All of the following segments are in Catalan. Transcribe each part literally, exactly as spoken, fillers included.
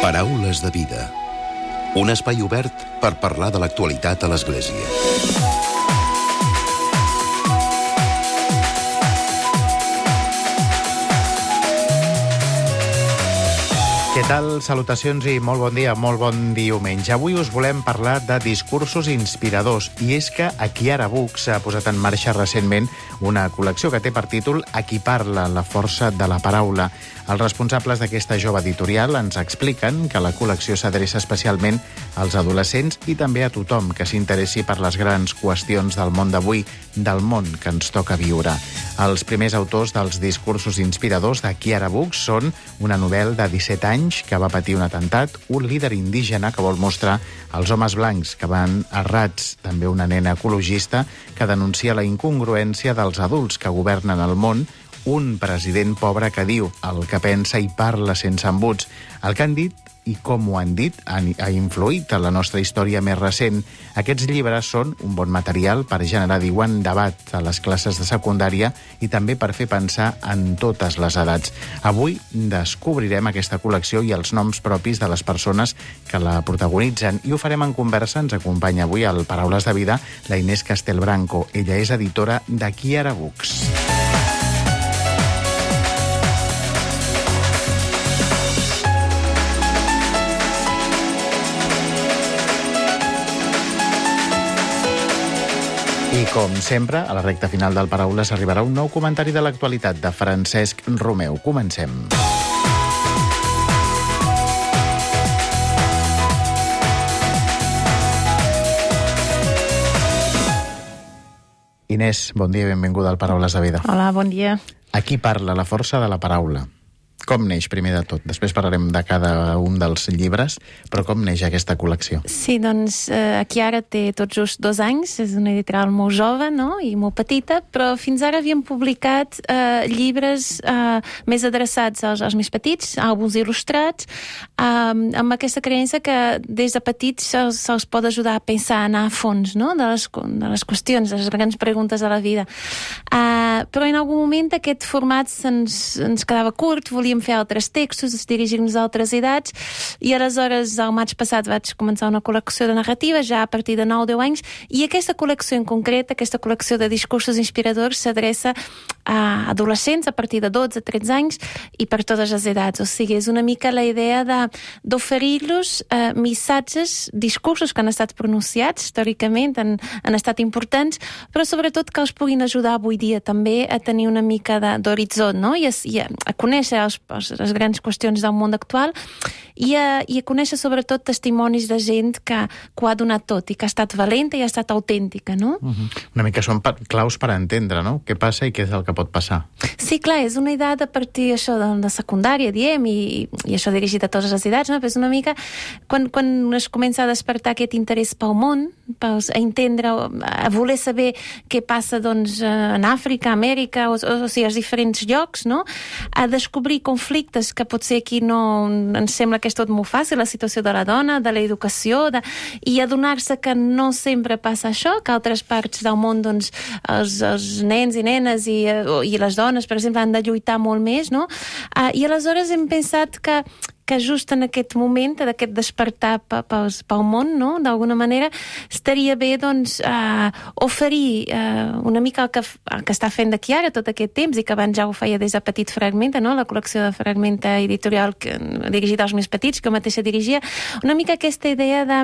Paraules de vida. Un espai obert per parlar de l'actualitat a l'Església. Què tal? Salutacions i molt bon dia, molt bon diumenge. Avui us volem parlar de discursos inspiradors, i és que Akiara Books ha posat en marxa recentment una col·lecció que té per títol A qui parla, la força de la paraula. Els responsables d'aquesta jove editorial ens expliquen que la col·lecció s'adreça especialment als adolescents i també a tothom que s'interessi per les grans qüestions del món d'avui, del món que ens toca viure. Els primers autors dels discursos inspiradors d'Akiara Books són una novel de disset anys que va patir un atemptat, un líder indígena que vol mostrar els homes blancs que van errats, també una nena ecologista que denuncia la incongruència dels adults que governen el món, un president pobre que diu el que pensa i parla sense embuts. El que han dit i com ho han dit ha influït en la nostra història més recent. Aquests llibres són un bon material per generar, diuen, debat a les classes de secundària i també per fer pensar en totes les edats. Avui descobrirem aquesta col·lecció i els noms propis de les persones que la protagonitzen i ho farem en conversa. Ens acompanya avui al Paraules de Vida la Inés Castelbranco. Ella és editora d'Akiara Books. I com sempre, a la recta final del Paraules arribarà un nou comentari de l'actualitat de Francesc Romeu. Comencem. Inés, bon dia i benvinguda al Paraules de Vida. Hola, bon dia. A qui parla, la força de la paraula? Com neix, primer de tot? Després parlarem de cada un dels llibres, però com neix aquesta col·lecció? Sí, doncs eh, Akiara té tot just dos anys, és una editorial molt jove, no?, i molt petita, però fins ara havíem publicat eh, llibres eh, més adreçats als, als més petits, àlbums il·lustrats, eh, amb aquesta creença que des de petits se'ls, se'ls pot ajudar a pensar, a anar a fons, no?, de les, de les qüestions, de les grans preguntes de la vida. Eh, però en algun moment aquest format se'ns, ens quedava curt, volíem fer altres textos, dirigir-nos a altres edats, i aleshores el maig passat vaig començar una col·lecció de narrativa, ja a partir de nou o deu anys, i aquesta col·lecció en concret, aquesta col·lecció de discursos inspiradors, s'adreça a adolescents a partir de dotze a tretze anys i per totes les edats. O sigui, és una mica la idea de, d'oferir-los eh, missatges, discursos que han estat pronunciats històricament, han, han estat importants, però sobretot que els puguin ajudar avui dia també a tenir una mica de, d'horitzó, no?, i a, i a, a conèixer els les grans qüestions del món actual i a, i a conèixer sobretot testimonis de gent que, que ho ha donat tot i que ha estat valenta i ha estat autèntica, no? Uh-huh. Una mica són per, claus per entendre, no?, què passa i què és el que pot passar. Sí, clar, és una edat a partir això de, de secundària, diem, i, i això dirigit a totes les edats, no? Però és una mica quan, quan es comença a despertar aquest interès pel món, pels, a entendre, a voler saber què passa, doncs, en Àfrica, Amèrica, o, o, o sigui, als diferents llocs, no?, a descobrir conflictes que potser aquí no ens sembla que és tot molt fàcil, la situació de la dona, de l'educació, de... i adonar-se que no sempre passa això, que altres parts del món, doncs, els, els nens i nenes i, i les dones, per exemple, han de lluitar molt més, no? Uh, I aleshores hem pensat que que just en aquest moment d'aquest despertar pel, pel món, no?, d'alguna manera, estaria bé, doncs, uh, oferir uh, una mica el que, el que està fent d'Akiara tot aquest temps i que abans ja ho feia des de Petit Fragmenta, no?, la col·lecció de Fragmenta editorial que, dirigida als més petits, que jo mateixa dirigia, una mica aquesta idea de...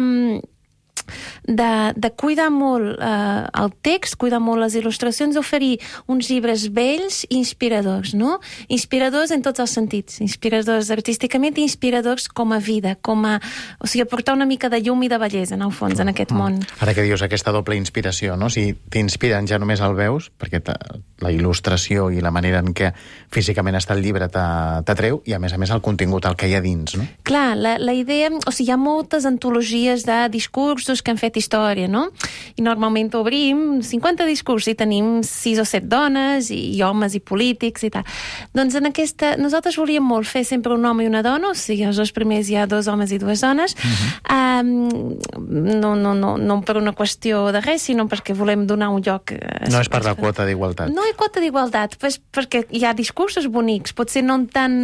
De, de cuidar molt eh, el text, cuidar molt les il·lustracions, oferir uns llibres vells i inspiradors, no? Inspiradors en tots els sentits, inspiradors artísticament i inspiradors com a vida, com a... O sigui, aportar una mica de llum i de bellesa, en el fons, en aquest món. Ara que dius aquesta doble inspiració, no? Si t'inspiren ja només el veus, perquè la il·lustració i la manera en què físicament està el llibre t'atreu, i a més a més el contingut, el que hi ha dins, no? Clar, la, la idea... O sigui, hi ha moltes antologies de discurs discursos que han fet història, no? I normalment obrim cinquanta discursos i tenim sis o set dones i, i homes i polítics i tal. Doncs en aquesta... Nosaltres volíem molt fer sempre un home i una dona, o sigui, els dos primers hi ha dos homes i dues dones, uh-huh. um, no, no, no, no per una qüestió de res, sinó perquè volem donar un lloc... Eh, no és per la quota d'igualtat. No hi ha quota d'igualtat, pues, perquè hi ha discursos bonics, potser no tant,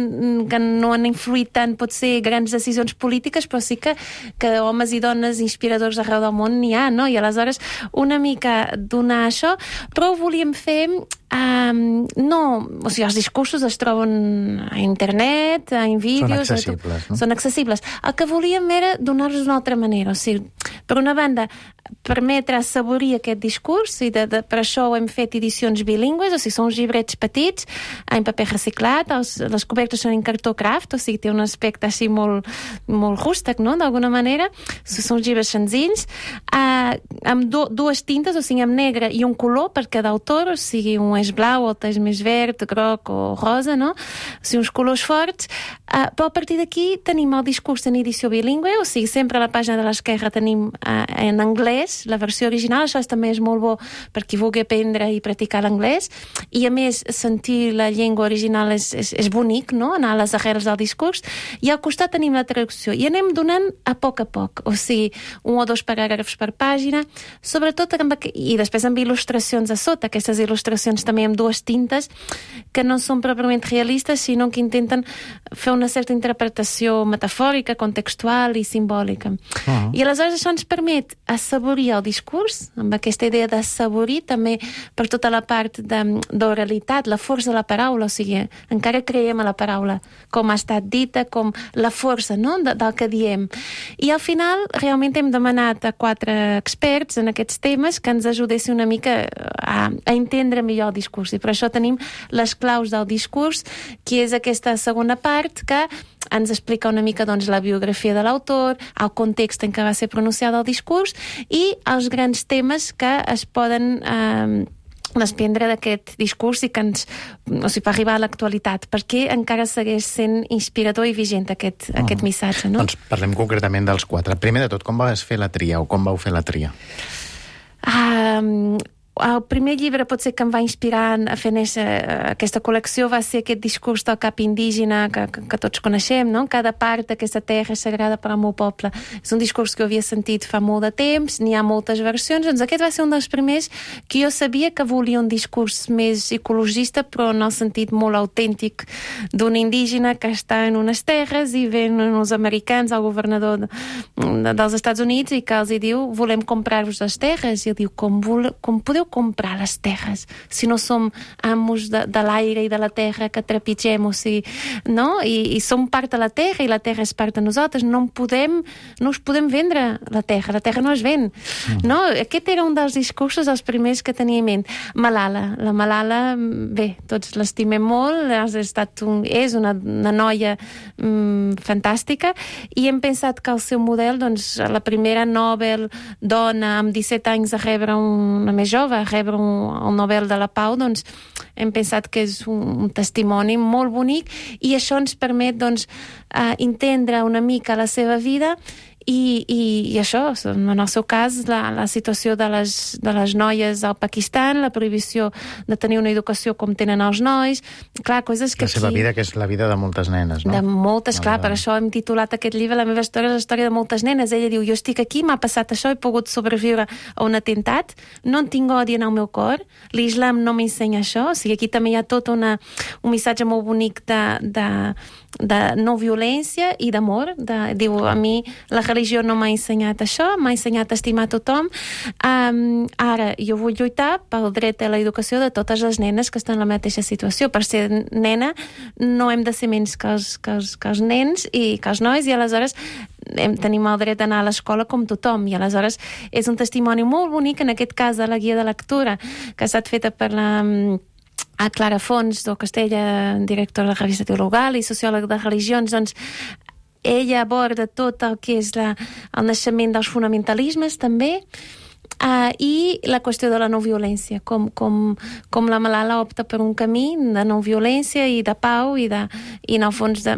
que no han influït tant, potser grans decisions polítiques, però sí que, que homes i dones inspiradors arreu del món n'hi ha, no? I aleshores una mica donar això, però ho volíem fer... Um, no, o sigui, els discursos es troben a internet, en vídeos... Són accessibles, no? Són accessibles. El que volíem era donar-los d'una altra manera, o sigui, per una banda, permetre assaborir aquest discurs, i de, de, per això hem fet edicions bilingües, o sigui, són uns llibrets petits, en paper reciclat, els, les cobertes són en cartó craft, o sigui, té un aspecte així molt, molt rústec, no?, d'alguna manera. Són uns llibres senzills, uh, amb do, dues tintes, o sigui, amb negre i un color per cada autor, o sigui, un és blau, el és més verd, groc o rosa, no? O sigui, uns colors forts, uh, però a partir d'aquí tenim el discurs en edició bilingüe, o sigui, sempre a la pàgina de l'esquerra tenim uh, en anglès la versió original, això també és molt bo per qui vulgui aprendre i practicar l'anglès, i a més sentir la llengua original és, és, és bonic, no?, anar a les arrels del discurs, i al costat tenim la traducció, i anem donant a poc a poc, o sigui, un o dos paràgrafs per pàgina, sobretot amb, i després amb il·lustracions a sota, aquestes il·lustracions també amb dues tintes, que no són pròpiament realistes, sinó que intenten fer una certa interpretació metafòrica, contextual i simbòlica. Uh-huh. I aleshores això ens permet assaborir el discurs, amb aquesta idea d'assaborir també per tota la part d'oralitat, la força de la paraula, o sigui, encara creiem a la paraula, com ha estat dita, com la força, no?, de, del que diem. I al final, realment hem demanat a quatre experts en aquests temes que ens ajudessin una mica a, a entendre millor el discurs, i per això tenim les claus del discurs, que és aquesta segona part que ens explica una mica, doncs, la biografia de l'autor, el context en què va ser pronunciat el discurs i els grans temes que es poden eh, desprendre d'aquest discurs i que ens, o sigui, per arribar a l'actualitat, perquè encara segueix sent inspirador i vigent aquest, uh-huh. aquest missatge, no? Doncs parlem concretament dels quatre. Primer de tot, com vas fer la tria o com vau fer la tria? Um, el primer llibre potser que em va inspirar a fer néixer aquesta col·lecció va ser aquest discurs del cap indígena que, que, que tots coneixem, no? Cada part d'aquesta terra és sagrada per al meu poble. És un discurs que havia sentit fa molt de temps, n'hi ha moltes versions, doncs aquest va ser un dels primers que jo sabia que volia un discurs més ecologista, però en el sentit molt autèntic d'un indígena que està en unes terres i ven uns americans, el governador de, de, dels Estats Units, i que els hi diu, volem comprar-vos les terres, i ell diu, com, vole, com podeu comprar les terres si no som amos de, de l'aire i de la terra que trepitgem, o sigui, no? I, i som part de la terra i la terra és part de nosaltres, no en podem, no us podem vendre la terra, la terra no es ven, mm. no? Aquest era un dels discursos els primers que tenia en ment. Malala, la Malala, bé, tots l'estimem molt, ha estat un, és una, una noia mm, fantàstica, i hem pensat que el seu model, doncs, la primera Nobel dona amb disset anys a rebre una més jove, a rebre un, el Nobel de la Pau, doncs hem pensat que és un, un testimoni molt bonic, i això ens permet, doncs, uh, entendre una mica la seva vida i, i, i això, en el seu cas, la, la situació de les, de les noies al Pakistan, la prohibició de tenir una educació com tenen els nois, clar, coses que la seva aquí... vida, que és la vida de moltes nenes, no? De moltes, no, clar, no. Per això hem titulat aquest llibre La meva història és la història de moltes nenes. Ella diu, jo estic aquí, m'ha passat això, he pogut sobreviure a un atemptat, no en tinc odi en el meu cor, l'islam no m'ensenya això, o sigui, aquí també hi ha tot una, un missatge molt bonic de, de, de no violència i d'amor, de, diu, a mi la religió no m'ha ensenyat això, m'ha ensenyat a estimar tothom, um, ara jo vull lluitar pel dret a l'educació de totes les nenes que estan en la mateixa situació. Per ser nena no hem de ser menys que els, que els, que els nens i que els nois, i aleshores hem, tenim el dret d'anar a l'escola com tothom, i aleshores és un testimoni molt bonic, en aquest cas de la guia de lectura, que ha estat feta per la a Clara Fons do Castella, directora de la revista Teologal i sociòleg de religions. Doncs ella aborda tot el que és la, el naixement dels fonamentalismes també, Uh, i la qüestió de la no violència, com, com, com la Malala opta per un camí de no violència i de pau i, de, i en el fons de,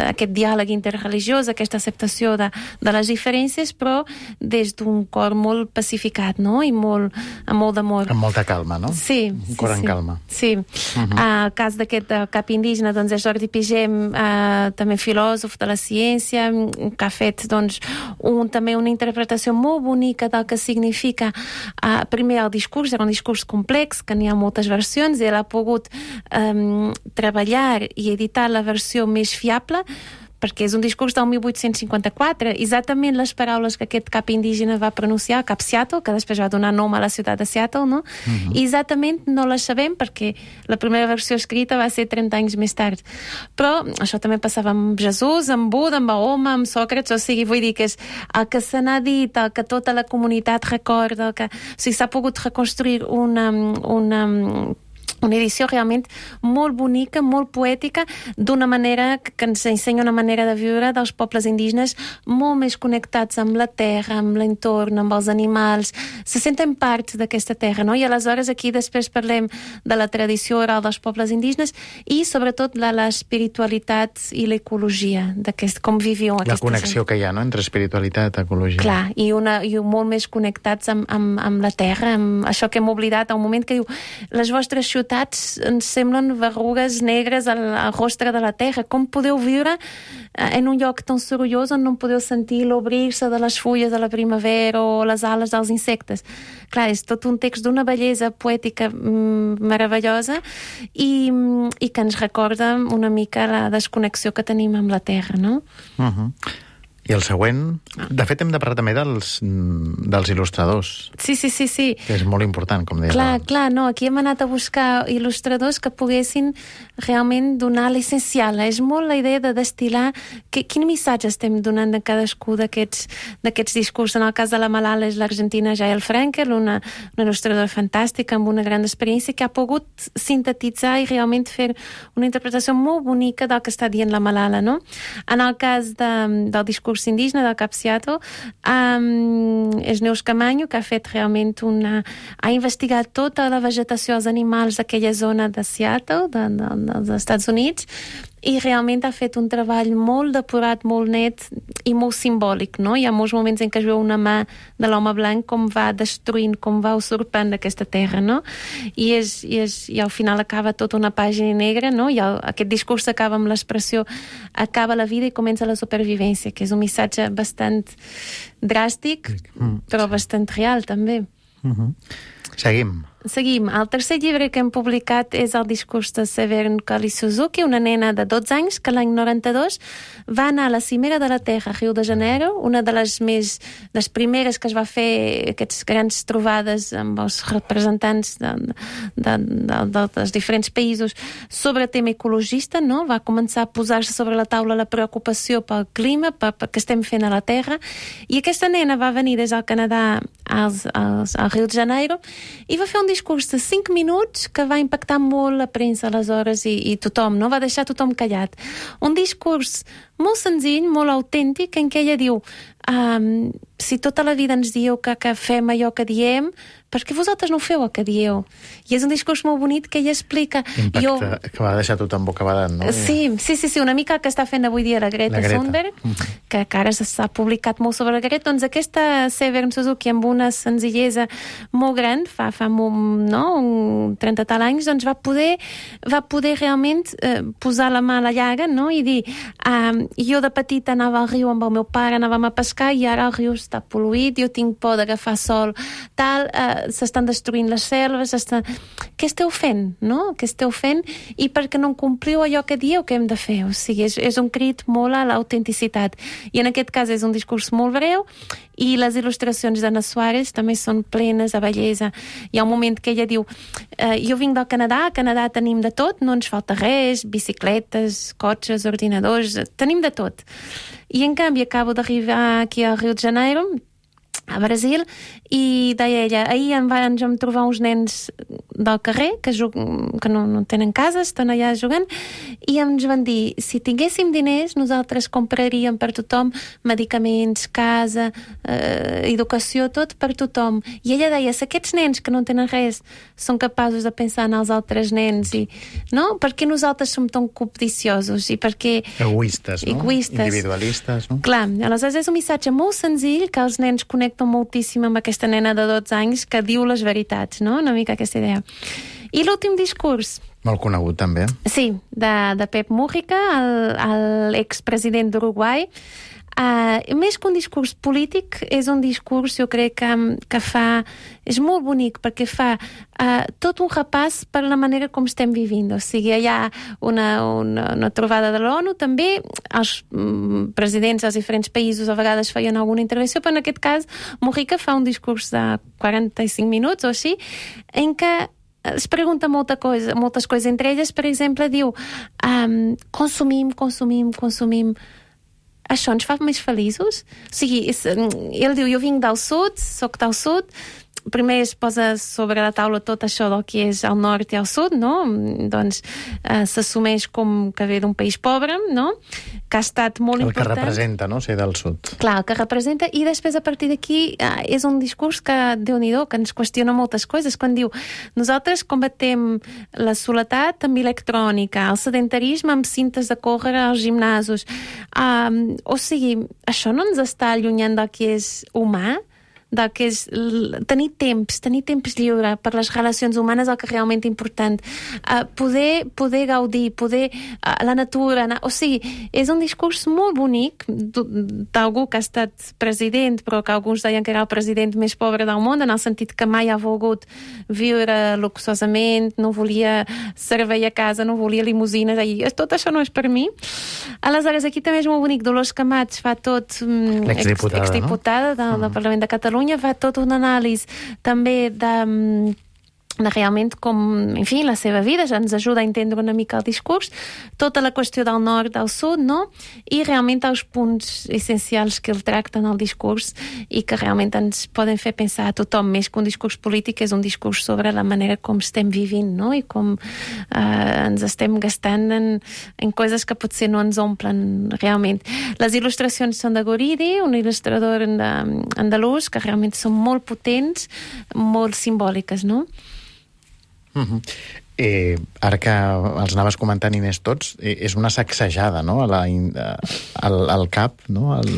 aquest diàleg interreligiós, aquesta acceptació de, de les diferències, però des d'un cor molt pacificat, no? I molt, amb molt d'amor. Amb molta calma, no? Sí. Un sí, cor en sí. calma. Sí. Uh-huh. El cas d'aquest cap indígena, doncs, és Jordi Pigem, eh, també filòsof de la ciència, que ha fet, doncs, un, també una interpretació molt bonica del que significa, eh, primer el discurs, era un discurs complex, que n'hi ha moltes versions, i ell ha pogut eh, treballar i editar la versió més fiable, perquè és un discurs del mil vuit-cents cinquanta-quatre, exactament les paraules que aquest cap indígena va pronunciar, cap Seattle, que després va donar nom a la ciutat de Seattle, no? Uh-huh. I exactament no les sabem perquè la primera versió escrita va ser trenta anys més tard. Però això també passava amb Jesús, amb Buda, amb Mahoma, amb Sòcrates, o sigui, vull dir que és el que se n'ha dit, el que tota la comunitat recorda, el que... O sigui, s'ha pogut reconstruir una... una una edició realment molt bonica, molt poètica, d'una manera que ens ensenya una manera de viure dels pobles indígenes molt més connectats amb la terra, amb l'entorn, amb els animals, se senten part d'aquesta terra, no? I aleshores aquí després parlem de la tradició oral dels pobles indígenes i sobretot de l'espiritualitat i l'ecologia, d'aquest, com viviu aquesta La connexió gent. Que hi ha, no?, entre espiritualitat i ecologia. Clar, i, una, i molt més connectats amb, amb, amb la terra, amb això que hem oblidat, al moment que diu les vostres ciutats ens semblen verrugues negres al, al rostre de la terra. Com podeu viure en un lloc tan sorollós on no podeu sentir l'obrir-se de les fulles de la primavera o les ales dels insectes? Clar, és tot un text d'una bellesa poètica mm, meravellosa i, i que ens recorda una mica la desconnexió que tenim amb la terra, no? Uh-huh. I el següent... De fet, hem de parlar també dels, dels il·lustradors. Sí, sí, sí, sí. Que és molt important, com deia. Clar, clar, no, aquí hem anat a buscar il·lustradors que poguessin realment donar l'essencial. És molt la idea de destil·lar que, quin missatge estem donant de cadascú d'aquests d'aquests discursos. En el cas de la Malala és l'argentina Jael Frankel, una, una il·lustradora fantàstica amb una gran experiència que ha pogut sintetitzar i realment fer una interpretació molt bonica del que està dient la Malala, no? En el cas de, del discurs indígena del Cap Seattle, um, és Neus Camanyo, que ha fet realment una... ha investigat tota la vegetació, els animals d'aquella zona de Seattle, de, de, dels Estats Units, i realment ha fet un treball molt depurat, molt net i molt simbòlic, no? Hi ha molts moments en què es veu una mà de l'home blanc com va destruint, com va usurpant aquesta terra, no? I, és, i, és, i al final acaba tota una pàgina negra, no? I el, aquest discurs acaba amb l'expressió acaba la vida i comença la supervivència, que és un missatge bastant dràstic, mm. però bastant real, també. Mm-hmm. Seguim. Seguim. El tercer llibre que hem publicat és el discurs de Severn Kali Suzuki, una nena de dotze anys que l'any noranta-dos va anar a la Cimera de la Terra a Rio de Janeiro, una de les més les primeres que es va fer aquestes grans trobades amb els representants de, de, de, de, dels diferents països sobre tema ecologista, no? Va començar a posar-se sobre la taula la preocupació pel clima, pel, pel que estem fent a la Terra, i aquesta nena va venir des del Canadà als, als, al Rio de Janeiro i va fer un discurs de cinc minuts que va impactar molt la premsa aleshores i, i tothom, no? Va deixar tothom callat. Un discurs molt senzill, molt autèntic, en què ella diu um, si tota la vida ens dieu que, que fem allò que diem, per què vosaltres no feu el que dieu? I és un discurs molt bonic que ella explica... Impacte, jo... que va deixar tothom bocabadat, no? Sí, sí, sí, sí, una mica que està fent avui dia la Greta, la Greta. Thunberg, mm-hmm. que, que ara s'ha publicat molt sobre la Greta, doncs aquesta Severn Suzuki amb una senzillesa molt gran, fa, fa molt, no, un trenta tal anys, doncs va poder, va poder realment eh, posar la mà a la llaga, no? I dir, um, jo de petita anava al riu amb el meu pare, anàvem a pescar i ara el riu està pol·luït, jo tinc por d'agafar sol, tal, eh, s'estan destruint les selves, estan... què esteu fent, no? Què esteu fent? I perquè no compliu allò que dieu que hem de fer. O sigui, és, és un crit molt a l'autenticitat. I en aquest cas és un discurs molt breu i les il·lustracions d'Anna Suárez també són plenes de bellesa. Hi ha un moment que ella diu eh, jo vinc del Canadà, a Canadà tenim de tot, no ens falta res, bicicletes, cotxes, ordinadors, tenim de tot. I en canvi acabo d'arribar aquí al Rio de Janeiro a Brasil, i deia ella, ahir em van trobar uns nens del carrer que, que no, no tenen casa, estan allà jugant, i ens van dir, si tinguéssim diners, nosaltres compraríem per tothom medicaments, casa, eh, educació, tot per tothom. I ella deia, si aquests nens que no tenen res són capaços de pensar en els altres nens, i, no? Per què nosaltres som tan codiciosos? I per què... Egoistes, no? Egoistes. Individualistes, no? Clar, aleshores és un missatge molt senzill que els nens connecten moltíssim amb aquesta nena de dotze anys que diu les veritats, no? Una mica aquesta idea. I l'últim discurs... Molt conegut, també. Sí, de, de Pep Mújica, l'expresident d'Uruguai. Uh, més que un discurs polític, és un discurs, jo crec, que, que fa... És molt bonic, perquè fa uh, tot un repàs per la manera com estem vivint. O sigui, hi ha una, una, una trobada de l'ONU, també els um, presidents dels diferents països a vegades feien alguna intervenció, però en aquest cas Mújica fa un discurs de quaranta-cinc minuts o així, en què es pregunta molta cosa, moltes coses. Entre elles, per exemple, diu um, consumim, consumim, consumim. Això ens fa més feliços? O sigui, és, ell diu, jo vinc del sud, soc del sud, primer es posa sobre la taula tot això del que és al nord i al sud, no? Doncs eh, s'assumeix com que ve d'un país pobre, no? Que ha estat molt el important. El que representa, no?, ser del sud. Clar, el que representa, i després a partir d'aquí eh, és un discurs que, Déu-n'hi-do, que ens qüestiona moltes coses, quan diu, nosaltres combatem la soledat amb electrònica, el sedentarisme amb cintes de córrer als gimnasos. Um, o sigui, això no ens està allunyant del que és humà? Del que és tenir temps, tenir temps lliure per les relacions humanes, el que és realment important. Uh, poder, poder gaudir, poder uh, la natura, anar, o sigui, és un discurs molt bonic d'algú que ha estat president, però que alguns deien que era el president més pobre del món, en el sentit que mai ha volgut viure luxosament, no volia servei a casa, no volia limusines, i tot això no és per mi. Aleshores, aquí també és molt bonic, Dolors Camats fa tot, l'exdiputada, ex, exdiputada no? del, del Parlament de Catalunya, fa tot un anàlisi també de, de realment com, en fi, la seva vida, ja ens ajuda a entendre una mica el discurs, tota la qüestió del nord, del sud, no? I realment els punts essencials que el tracten al discurs i que realment ens poden fer pensar a tothom, més que un discurs polític, és un discurs sobre la manera com estem vivint, no? I com eh, ens estem gastant en, en coses que potser no ens omplen realment. Les il·lustracions són de Guridi, un il·lustrador andalús, que realment són molt potents, molt simbòliques, no? Uh-huh. Eh, ara que els anaves comentant, Inés, tots, eh, és una sacsejada, no?, a la, a, al, al cap, no?, al,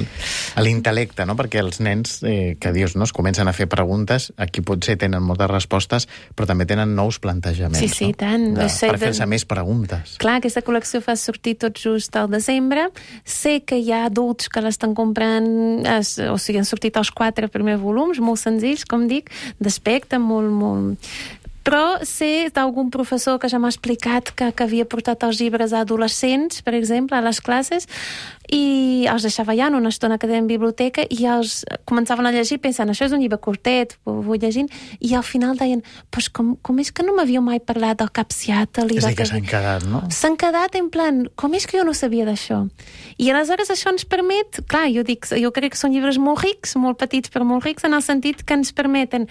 a l'intel·lecte, no?, perquè els nens, eh, que dius, no?, es comencen a fer preguntes, aquí potser tenen moltes respostes, però també tenen nous plantejaments, sí, sí, no? tant. De, sé, per fer-se de... més preguntes. Clar, aquesta col·lecció fa sortir tot just al desembre. Sé que hi ha adults que l'estan comprant, es, o sigui, han sortit els quatre primers volums, molt senzills, com dic, d'aspecte, molt, molt... Però sé d'algun professor que ja m'ha explicat que, que havia portat els llibres a adolescents, per exemple, a les classes, i els deixava allà en una estona que deien biblioteca, i els començaven a llegir pensant, això és un llibre curtet, ho vull llegint, i al final deien, pues com, com és que no m'havíeu mai parlat del Capsiatel? És a dir, que s'han quedat, no? S'han quedat en plan, com és que jo no sabia d'això? I aleshores això ens permet, clar, jo dic, jo crec que són llibres molt rics, molt petits però molt rics, en el sentit que ens permeten...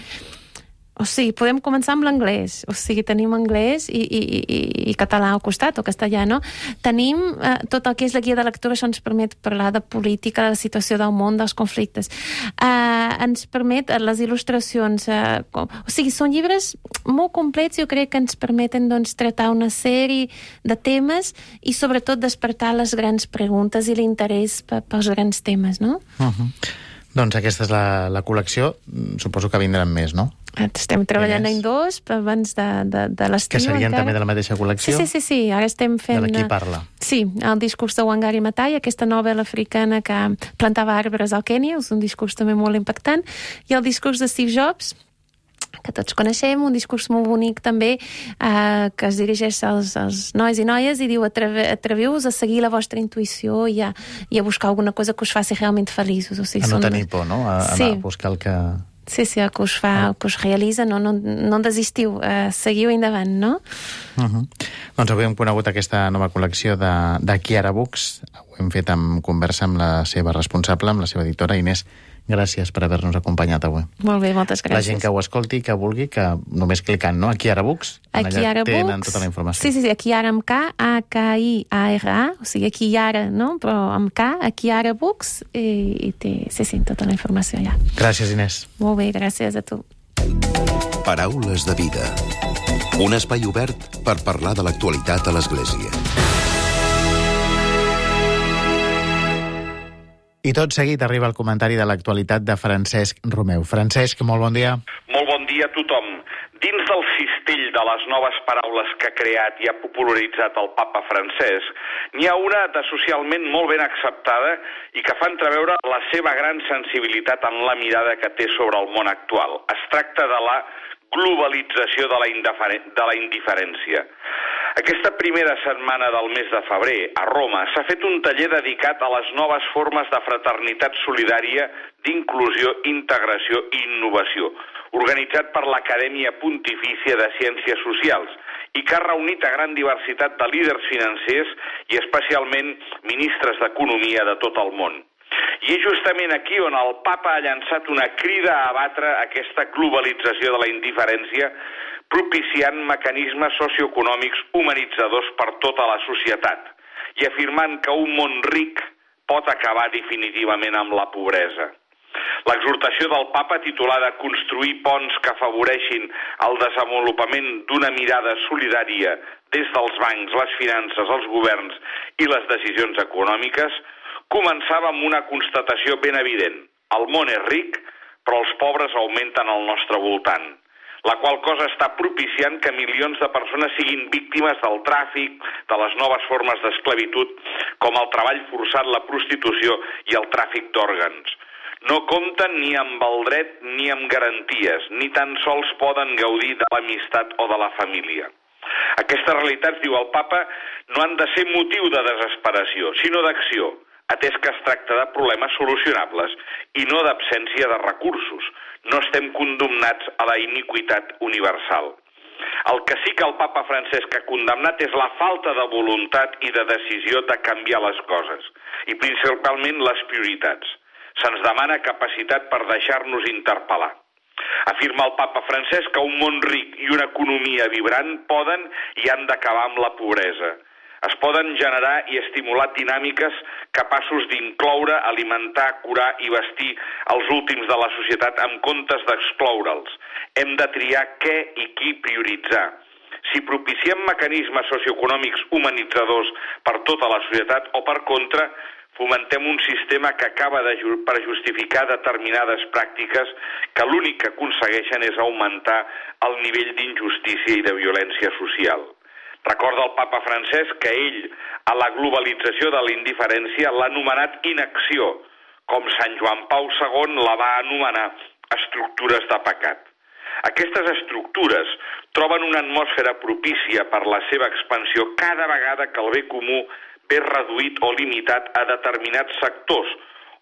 O sigui, podem començar amb l'anglès. O sigui, tenim anglès i, i, i, i català al costat, o castellà, no? Tenim eh, tot el que és la guia de lectura, això ens permet parlar de política, de la situació del món, dels conflictes. Eh, ens permet eh, les il·lustracions. Eh, com, o sigui, són llibres molt complets, jo crec que ens permeten doncs, tractar una sèrie de temes i sobretot despertar les grans preguntes i l'interès pels grans temes, no? Uh-huh. Doncs aquesta és la, la col·lecció. Suposo que vindran més, no? Estem treballant en dos abans de, de, de l'estiu. Que serien encara. també de la mateixa col·lecció? Sí, sí, sí, sí. Ara estem fent... De qui parla? Sí, el discurs de Wangari Maathai, aquesta novel·la africana que plantava arbres al Kènia, és un discurs també molt impactant, i el discurs de Steve Jobs, que tots coneixem, un discurs molt bonic també, eh, que es dirigeix als, als nois i noies i diu, atreviu-vos a seguir la vostra intuïció i a, i a buscar alguna cosa que us faci realment feliços. O sigui, a no són... tenir por, no? A, sí. a buscar el que... Sí, sí, el que us fa, el que us realitza, no, no, no en desistiu, eh, seguiu endavant, no? Uh-huh. Doncs avui hem conegut aquesta nova col·lecció de, de Kiara Books. Ho hem fet en conversa amb la seva responsable, amb la seva editora, Inés gràcies per haver-nos acompanyat avui. Molt bé, moltes gràcies. La gent que ho escolti, que vulgui, que només clicant, no? Aquí ara Books, aquí allà ara tenen Books, tota la informació. Sí, sí, sí, aquí ara amb K, A K I A R A, o sigui, aquí ara, no? Però amb K, aquí ara Books, i, i té, sí, sí, tota la informació allà. Gràcies, Inés. Molt bé, gràcies a tu. Paraules de vida. Un espai obert per parlar de l'actualitat a l'Església. I tot seguit arriba el comentari de l'actualitat de Francesc Romeu. Francesc, molt bon dia. Molt bon dia a tothom. Dins del cistell de les noves paraules que ha creat i ha popularitzat el papa Francesc, n'hi ha una de socialment molt ben acceptada i que fa entreveure la seva gran sensibilitat en la mirada que té sobre el món actual. Es tracta de la globalització de la, de la indiferència. Aquesta primera setmana del mes de febrer, a Roma, s'ha fet un taller dedicat a les noves formes de fraternitat solidària, d'inclusió, integració i innovació, organitzat per l'Acadèmia Pontifícia de Ciències Socials i que ha reunit a gran diversitat de líders financers i especialment ministres d'Economia de tot el món. I és justament aquí on el papa ha llançat una crida a abatre aquesta globalització de la indiferència, propiciant mecanismes socioeconòmics humanitzadors per tota la societat i afirmant que un món ric pot acabar definitivament amb la pobresa. L'exhortació del papa, titulada Construir ponts que afavoreixin el desenvolupament d'una mirada solidària des dels bancs, les finances, els governs i les decisions econòmiques, començava amb una constatació ben evident. El món és ric, però els pobres augmenten al nostre voltant, la qual cosa està propiciant que milions de persones siguin víctimes del tràfic, de les noves formes d'esclavitud, com el treball forçat, la prostitució i el tràfic d'òrgans. No compten ni amb el dret ni amb garanties, ni tan sols poden gaudir de l'amistat o de la família. Aquestes realitats, diu el papa, no han de ser motiu de desesperació, sinó d'acció, atès que es tracta de problemes solucionables i no d'absència de recursos. No estem condemnats a la iniquitat universal. El que sí que el papa Francesc ha condemnat és la falta de voluntat i de decisió de canviar les coses, i principalment les prioritats. Se'ns demana capacitat per deixar-nos interpel·lar. Afirma el papa Francesc que un món ric i una economia vibrant poden i han d'acabar amb la pobresa. Es poden generar i estimular dinàmiques capaços d'incloure, alimentar, curar i vestir els últims de la societat en comptes d'excloure'ls. Hem de triar què i qui prioritzar. Si propiciem mecanismes socioeconòmics humanitzadors per tota la societat o, per contra, fomentem un sistema que acaba de ju- per justificar determinades pràctiques que l'únic que aconsegueixen és augmentar el nivell d'injustícia i de violència social. Recorda el papa Francesc que ell, a la globalització de la indiferència, l'ha anomenat inacció, com Sant Joan Pau segon la va anomenar estructures de pecat. Aquestes estructures troben una atmosfera propícia per la seva expansió cada vegada que el bé comú ve reduït o limitat a determinats sectors,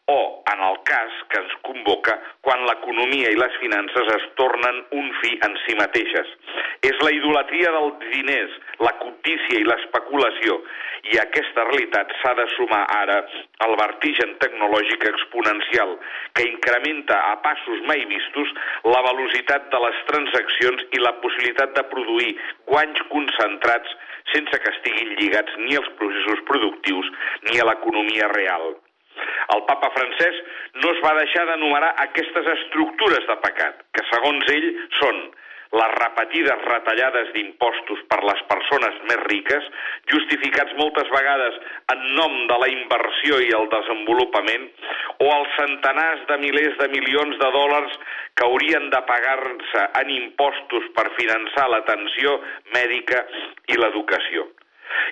o, en el cas que ens convoca, quan l'economia i les finances es tornen un fi en si mateixes. És la idolatria dels diners, la cobdícia i l'especulació, i a aquesta realitat s'ha de sumar ara el vertigen tecnològic exponencial, que incrementa a passos mai vistos la velocitat de les transaccions i la possibilitat de produir guanys concentrats sense que estiguin lligats ni als processos productius ni a l'economia real. El papa Francesc no es va deixar d'enumerar aquestes estructures de pecat, que segons ell són les repetides retallades d'impostos per les persones més riques, justificats moltes vegades en nom de la inversió i el desenvolupament, o els centenars de milers de milions de dòlars que haurien de pagar-se en impostos per finançar l'atenció mèdica i l'educació,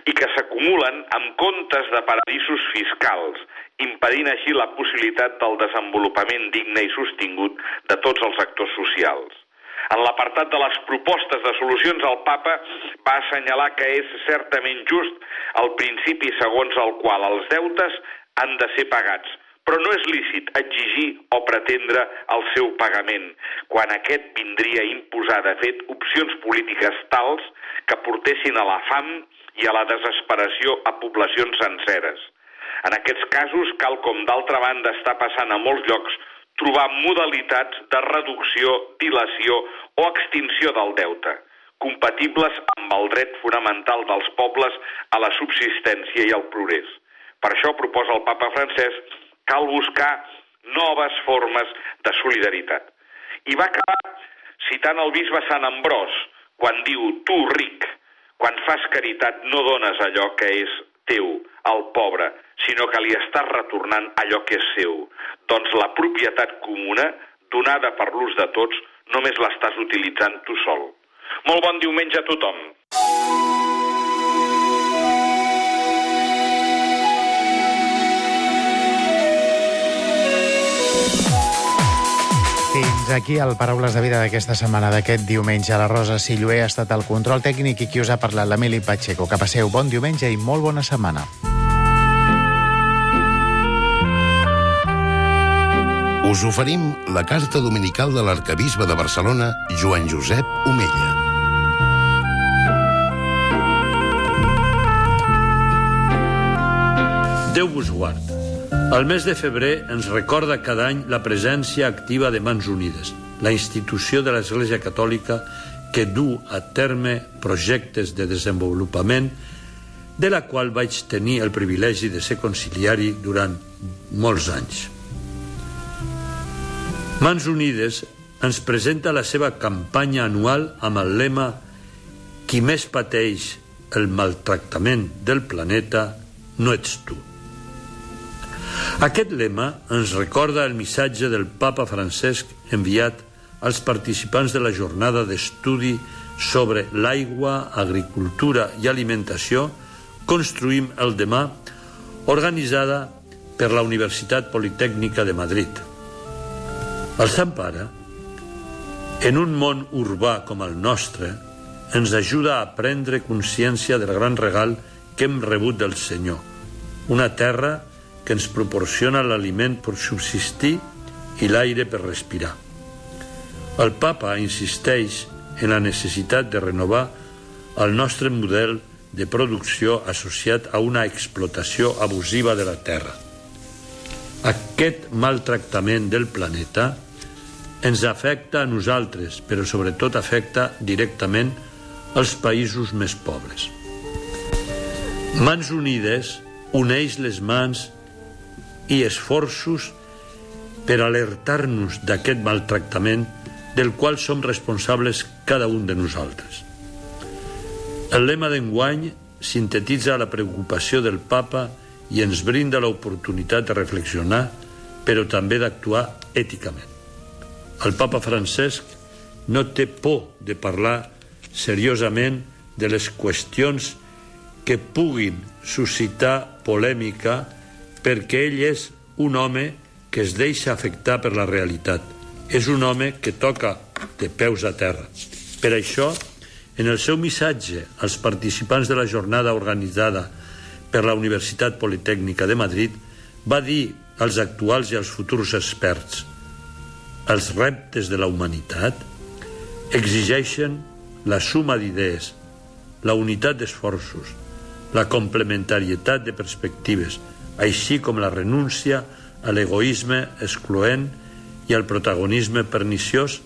i que s'acumulen amb comptes de paradisos fiscals, impedint així la possibilitat del desenvolupament digne i sostingut de tots els actors socials. En l'apartat de les propostes de solucions, el papa va assenyalar que és certament just el principi segons el qual els deutes han de ser pagats, però no és lícit exigir o pretendre el seu pagament, quan aquest vindria a imposar, de fet, opcions polítiques tals que portessin a la fam i a la desesperació a poblacions senceres. En aquests casos, cal com d'altra banda està passant a molts llocs, trobar modalitats de reducció, dilació o extinció del deute, compatibles amb el dret fonamental dels pobles a la subsistència i al progrés. Per això proposa el papa Francesc, cal buscar noves formes de solidaritat. I va acabar citant el bisbe Sant Ambròs, quan diu, tu ric, quan fas caritat no dones allò que és teu, al pobre, sinó que li estàs retornant allò que és seu. Doncs la propietat comuna, donada per l'ús de tots, només l'estàs utilitzant tu sol. Molt bon diumenge a tothom. Fins aquí el Paraules de Vida d'aquesta setmana, d'aquest diumenge. La Rosa Silloé ha estat el control tècnic i qui us ha parlat, l'Emili Pacheco. Que passeu bon diumenge i molt bona setmana. Us oferim la carta dominical de l'arquebisbe de Barcelona, Joan Josep Omella. Déu vos guard. El mes de febrer ens recorda cada any la presència activa de Mans Unides, la institució de l'Església Catòlica que du a terme projectes de desenvolupament, de la qual vaig tenir el privilegi de ser conciliari durant molts anys. Mans Unides ens presenta la seva campanya anual amb el lema «Qui més pateix el maltractament del planeta no ets tu». Aquest lema ens recorda el missatge del papa Francesc enviat als participants de la jornada d'estudi sobre l'aigua, agricultura i alimentació Construïm el demà, organitzada per la Universitat Politècnica de Madrid. El Sant Pare, en un món urbà com el nostre, ens ajuda a prendre consciència del gran regal que hem rebut del Senyor, una terra que ens proporciona l'aliment per subsistir i l'aire per respirar. El Papa insisteix en la necessitat de renovar el nostre model de producció associat a una explotació abusiva de la terra. Aquest maltractament del planeta ens afecta a nosaltres, però sobretot afecta directament els països més pobres. Mans Unides uneix les mans i esforços per alertar-nos d'aquest maltractament del qual som responsables cada un de nosaltres. El lema d'enguany sintetitza la preocupació del Papa i ens brinda l'oportunitat de reflexionar, però també d'actuar èticament. El Papa Francesc no té por de parlar seriosament de les qüestions que puguin suscitar polèmica perquè ell és un home que es deixa afectar per la realitat. És un home que toca de peus a terra. Per això, en el seu missatge als participants de la jornada organitzada per la Universitat Politècnica de Madrid, va dir als actuals i als futurs experts: els reptes de la humanitat exigeixen la suma d'idees, la unitat d'esforços, la complementarietat de perspectives, així com la renúncia a l'egoisme excloent i al protagonisme perniciós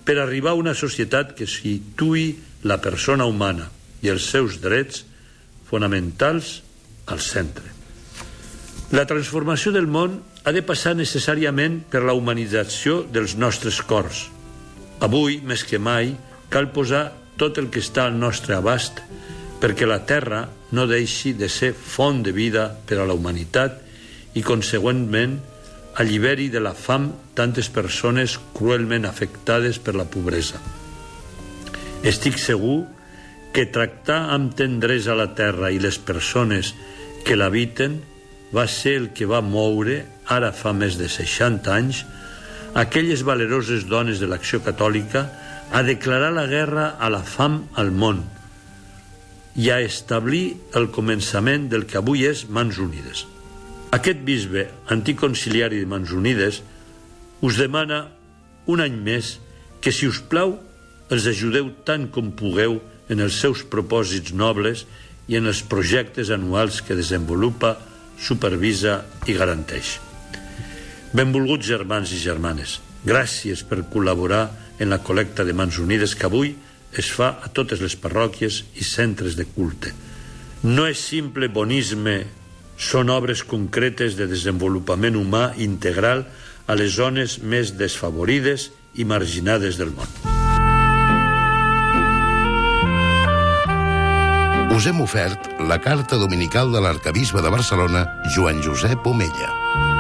per arribar a una societat que situï la persona humana i els seus drets fonamentals al centre. La transformació del món ha de passar necessàriament per la humanització dels nostres cors. Avui, més que mai, cal posar tot el que està al nostre abast perquè la Terra no deixi de ser font de vida per a la humanitat i, consegüentment, alliberi de la fam tantes persones cruelment afectades per la pobresa. Estic segur que tractar amb tendresa la terra i les persones que l'habiten va ser el que va moure, ara fa més de seixanta anys, aquelles valeroses dones de l'Acció Catòlica a declarar la guerra a la fam al món i a establir el començament del que avui és Mans Unides. Aquest bisbe anticonciliari de Mans Unides us demana un any més que, si us plau, els ajudeu tant com pugueu en els seus propòsits nobles i en els projectes anuals que desenvolupa, supervisa i garanteix. Benvolguts germans i germanes, gràcies per col·laborar en la col·lecta de Mans Unides que avui es fa a totes les parròquies i centres de culte. No és simple bonisme, són obres concretes de desenvolupament humà integral a les zones més desfavorides i marginades del món. Us hem ofert la carta dominical de l'arcabisbe de Barcelona, Joan Josep Omella.